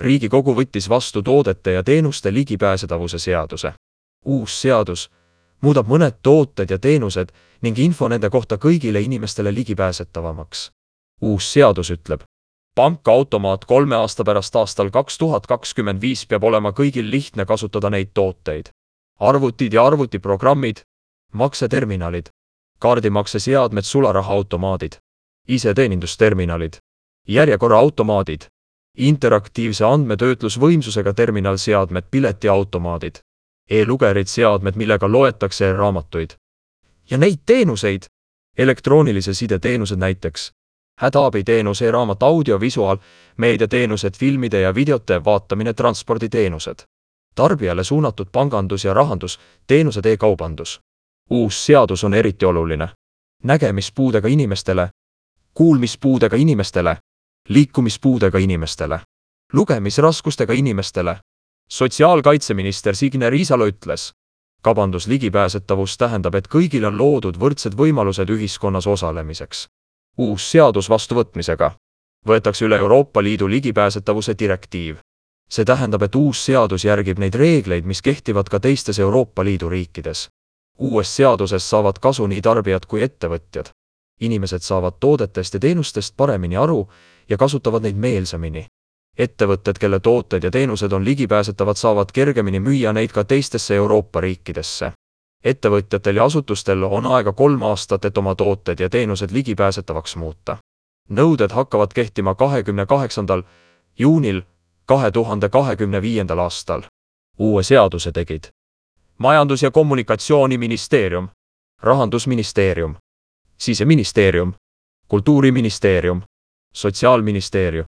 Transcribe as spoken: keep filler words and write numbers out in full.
Riigikogu võttis vastu toodete ja teenuste ligipääsetavuse seaduse. Uus seadus muudab mõned tooted ja teenused ning info nende kohta kõigile inimestele ligipääsetavamaks. Uus seadus ütleb, pankaautomaat kolme aasta pärast aastal kaks tuhat kakskümmend viis peab olema kõigil lihtne kasutada neid tooteid. Arvutid ja arvutiprogrammid, makseterminalid, kaardimakseseadmed, sularahaautomaadid, iseteenindusterminalid, järjekorraautomaadid, interaktiivse andmetöötlusvõimsusega terminalseadmed, piletiautomaadid, e-lugerid, seadmed, millega loetakse raamatuid. Ja neid teenuseid, elektroonilise side teenused näiteks, hädaabiteenus, e-raamat, audiovisuaal, meediateenused, filmide ja videote vaatamine, transporditeenused, tarbijale suunatud pangandus ja rahandus, teenused, e-kaubandus. Uus seadus on eriti oluline nägemispuudega inimestele, kuulmispuudega inimestele, liikumispuudega inimestele, lugemisraskustega inimestele. Sotsiaalkaitseminister Signe Riisalo ütles, kaubandus ligipääsetavus tähendab, et kõigil on loodud võrdsed võimalused ühiskonnas osalemiseks. Uus seadus vastuvõtmisega võetakse üle Euroopa Liidu ligipääsetavuse direktiiv. See tähendab, et uus seadus järgib neid reegleid, mis kehtivad ka teistes Euroopa Liidu riikides. Uues seaduses saavad kasu nii tarbijad kui ettevõtjad. Inimesed saavad toodetest ja teenustest paremini aru ja kasutavad neid meelsamini. Ettevõtted, kelle tooted ja teenused on ligipääsetavad, saavad kergemini müüa neid ka teistesse Euroopa riikidesse. Ettevõtjatel ja asutustel on aega kolm aastat, et oma tooted ja teenused ligipääsetavaks muuta. Nõuded hakkavad kehtima kahekümne kaheksandal juunil kahe tuhande kahekümne viiendal aastal. Uue seaduse tegid Majandus- ja Kommunikatsiooniministeerium, Rahandusministeerium, Siseministeerium, Kultuuriministeerium, Sotsiaalministeerium,